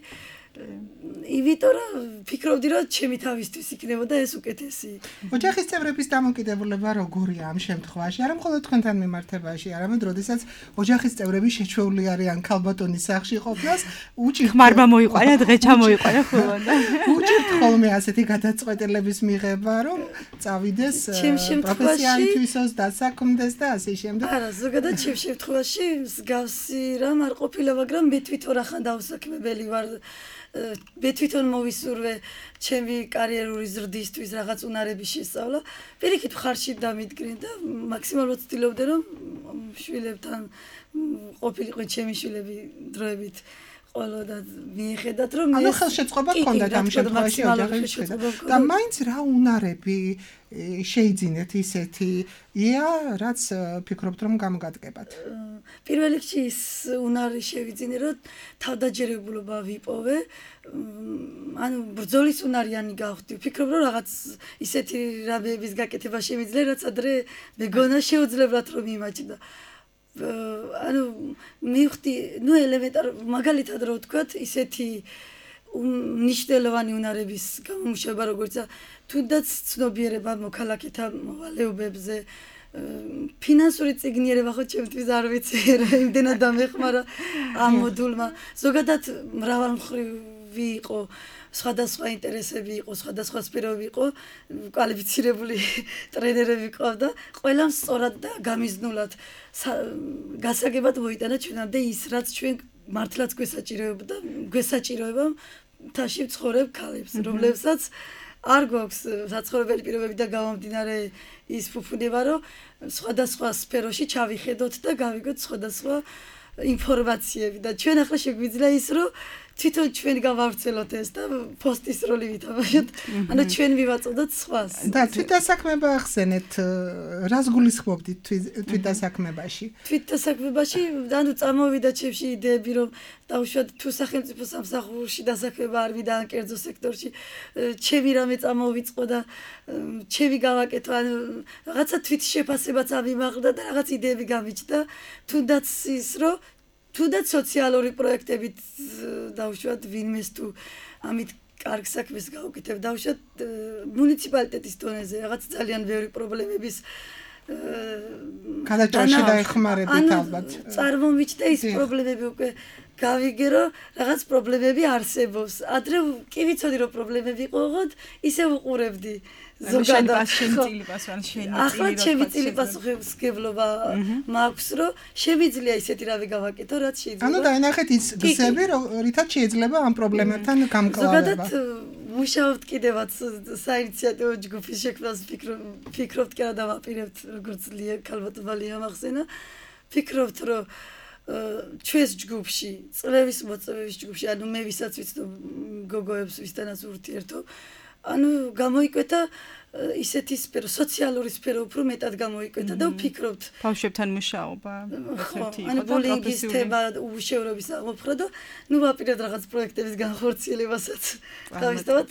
იმიტომ რომ ფიქრობდი, რომ ჩემი თავისთვის იქნებოდა ეს უკეთესი. ოჯახის წევრების დამოკიდებულება როგორია ამ შემთხვევაში? არა მხოლოდ თქვენთან მიმართებაში, არამედ როდესაც ოჯახის წევრები შეჩვეული არიან ქალბატონის სახლში ყოფნას, ხმარმა მოიყვანა, დღე ჩამოიყვანა ხოლმე. უჭირთ ხოლმე ასეთი გადაწყვეტილების მიღება, რომ წავიდეს პროფესიალი თვისოს დასაქმდეს და ასე შემდეგ. არა, ზოგადად ჩემ შემთხვევაში მსგავსი რამ არ ყოფილა, მაგრამ მე თვითონ ახან დავსაქმებელი ვარ. მე თვითონ მოვისურვე ჩემი კარიერული ზრდისთვის რაღაც უნარების შესწავლა. პირიქით ხარში დამიდგნენ და მაქსიმალურად ვცდილობდი, რომ შვილებთან ყოფილიყო ჩემი შვილები დროებით ყოლო და მიეხედათ, რომ ანუ ხელშეწყობა გქონდათ ამ შემთხვევაში ოჯახის შეხედა. და მაინც რა უნარები შეიძინეთ ისეთი, რაც ფიქრობთ, რომ გამოგადგებათ? პირველ რიგში ის უნარი შევიძინე, რომ თავდაჯერებულობა ვიპოვე, ანუ ბრძოლის უნარიანი გავხდი. ვფიქრობ, რომ რაღაც ისეთი რამეების გაკეთება შემიძლია, რაც ადრე მეგონა შეუძლებელად რომ იმაჩნდა. ანუ მივხვდი, ელემენტარ მაგალითად რო ვთქვათ, ისეთი მნიშვნელოვანი უნარების გამომუშავება, როგორიცაა თუნდაც ცნობიერება მოქალაქეთა მოვალეობებზე, ფინანსური წიგნიერება, ხო ჩემთვის არ ვიცი, იმდენად დამეხმარა ამ მოდულმა. ზოგადად მრავალმხრივი იყო, სხვადასხვა ინტერესები იყო, სხვადასხვა სფეროები იყო, კვალიფიცირებული ტრენერები ყავდა, ყველამ სწორად და გამიზნულად გასაგებად მოიტანა ჩვენამდე ის, რაც ჩვენ მართლაც გვესაჭიროება მთაში ვცხოვრებ ქალებს, რომლებსაც არ გვაქვს საცხოვრებელი პირობებიდან გამომდინარე ის ფუფუნება, რომ სხვადასხვა სფეროში ჩავიხედოთ და გავიგოთ სხვადასხვა ინფორმაციები და ჩვენ ახლა შეგვიძლია ის, რომ თვითონ ჩვენ გავავრცელოთ ეს და პოსტის როლი ვითამაშოთ, ანუ ჩვენ ვივაწოდოთ სხვას. და თვითდასაქმება ახსენეთ, რას გულისხმობდით თვითდასაქმებაში? თვითდასაქმებაში, ანუ წამოვიდა ჩემში იდეები, რომ დაუშვათ თუ სახელმწიფო სამსახურში დასაქმება არ ვიდა ან კერძო სექტორში, ჩემი რამე წამოვიწყო და ჩემი გავაკეთო, ანუ რაღაცა თვითშეფასებაც ამიმაღლა და რაღაც იდეები გამიჩნდა, თუნდაც ის, რომ თუნდაც სოციალური პროექტებით დავუშვათ ვინმეს თუ ამით კარგ საქმეს გავუკეთებ დავუშვათ მუნიციპალიტეტის დონეზე რაღაც ძალიან ბევრი პრობლემების გადაჭრაში დაეხმარებით ალბათ. წარმომიჩნდა ის პრობლემები უკვე გავიგე რომ რაღაც პრობლემები არსებობს. ადრე კი ვიცოდი რომ პრობლემები ყოღოდ, ისე უყურებდი. ზოგადად შენი პასუხი ახლა ჩემი წილი პასუხისმგებლობა მაქვს რომ შემიძლია ისეთი რავი გავაკეთო რაც შეიძლება. ანუ დაინახეთ ის გზები რითაც შეიძლება ამ პრობლემებთან გამკლავება. ზოგადად მუშაობთ კიდევაც საინიციატივო ჯგუფის შექმნას ფიქრობთ კი არა დავაპირებთ როგორც ქალბატონმა ლიამ ახსენა. ფიქრობთ რომ ჩვენს ჯგუფში წლების მოწვევის ჯგუფში ანუ მე ვისაც ვიცნობ გოგოებს ვისთანაც ურთიერთობ ანუ გამოიკვეთა ისეთი სფერო, სოციალური სფერო უფრო მეტად გამოიკვეთა და ვფიქრობთ ბავშვებთან მუშაობა ერთ-ერთი იყო და ბულინგის თემა უშევრობის აღმოფხვრა და ნუ ვაპირებთ რაღაც პროექტების განხორციელებასაც თავისთავად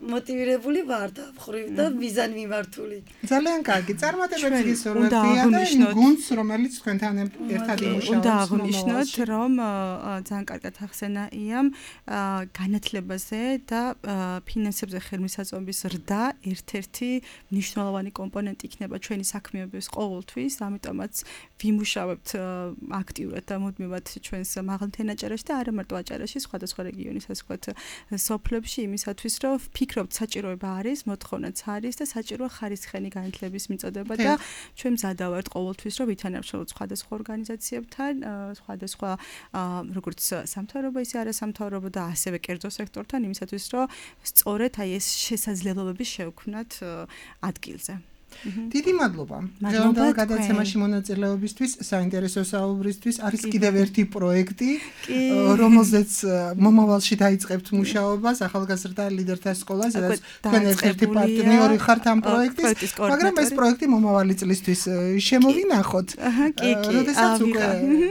მოტივირებული ვარ და მხრივ და მიზანი მიმართული. ძალიან კარგი. წარმატებებს გისურვებია და იმ გუნდს, რომელიც თქვენთან ერთად იმუშავებს. უნდა აღვნიშნოთ, რომ ძალიან კარგად ახსენა იამ განათლებაზე და ფინანსებზე ხელმისაწვდომის ზრდა ერთ-ერთი მნიშვნელოვანი კომპონენტი იქნება ჩვენი საქმიანობის ყოველთვის, ამიტომაც ვიმუშავებთ აქტიურად და მუდმივად ჩვენს მაღალმთენაჭარაში და არა მარტო აჭარაში, სხვადასხვა რეგიონის ასე ვთქვათ სოფლებში იმისათვის, რომ ვფიქრობთ საჭიროება არის, მოთხოვნაც არის და საჭიროა ხარისხიანი განათლების მიწოდება და ჩვენ მზადა ვართ ყოველთვის, რომ ვითანამშრომლოთ სხვადასხვა ორგანიზაციებთან, სხვადასხვა როგორც სამთავრობო, ისე არასამთავრობო და ასევე კერძო სექტორთან იმისათვის, რომ სწორედ აი ეს შესაძლებლობები შევქმნათ ადგილზე. დიდი მადლობა. დღევანდელ გადაცემაში მონაწილეობისთვის, საინტერესო საუბრისთვის. არის კიდევ ერთი პროექტი, რომელზეც მომავალში დაიწყებთ მუშაობას, ახალგაზრდა ლიდერთა სკოლა, სადაც თქვენ ერთ-ერთი პარტნიორი ხართ ამ პროექტის, მაგრამ ეს პროექტი მომავალი წლისთვის შემოვინახოთ. როდესაც უკვე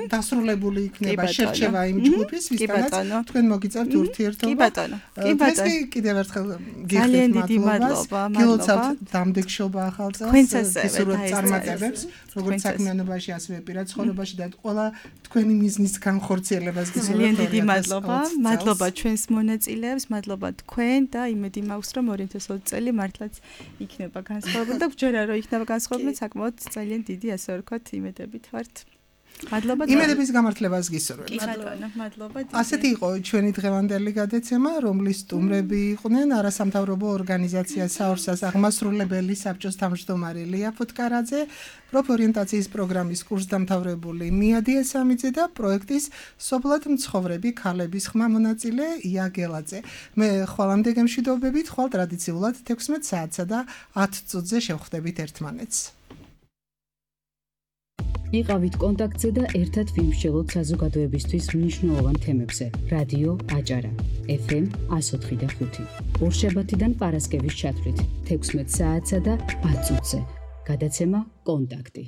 დასრულებული იქნება შერჩევა იმ ჯგუფის, ვისთანაც თქვენ მოგიწევთ ურთიერთობა. კი ბატონო. კი ბატონო. კიდევ ერთხელ გიხდით მადლობა. გილოცავთ დამდეგშობა ახალ თქვენც ასევე წარმატებებს, როგორც საქმიანობაში, ასევე პირად ცხოვრებაში და ყველა თქვენი მიზნის განხორციელებას გისურვებთ. ძალიან დიდი მადლობა. მადლობა ჩვენს მონაწილეებს, მადლობა თქვენ და იმედი მაქვს, რომ 2020 წელი მართლაც იქნება განსხვავებული და ვჯერა რომ იქნება განსხვავებული, საკმაოდ ძალიან დიდი ასე ვთქვათ იმედებით ვართ. მადლობა. იმედების გამართლებას გისურვებთ. კი ბატონო, მადლობა. ასეთი იყო ჩვენი დღევანდელი გადაცემა, რომლის სტუმრები იყვნენ არასამთავრობო ორგანიზაცია საორსას აღმასრულებელი საბჭოს თავმჯდომარე ლია ფუტკარაძე, პროფორიენტაციის პროგრამის კურსდამთავრებული მია დიესამიძე და პროექტის სოფლად მცხოვრები ქალების ხმა მონაწილე ია გელაძე. მე ხვალამდე გემშვიდობებით, ხვალ ტრადიციულად 16 საათსა და 10 წუთზე შევხვდებით ერთმანეთს. იყავით კონტაქტზე და ერთად ვიმსჯელოთ საზოგადოებისთვის მნიშვნელოვან თემებზე. რადიო აჭარა FM 104.5 ორშაბათიდან პარასკევის ჩათვლით 16 საათსა და 10 წუთზე. გადაცემა კონტაქტი.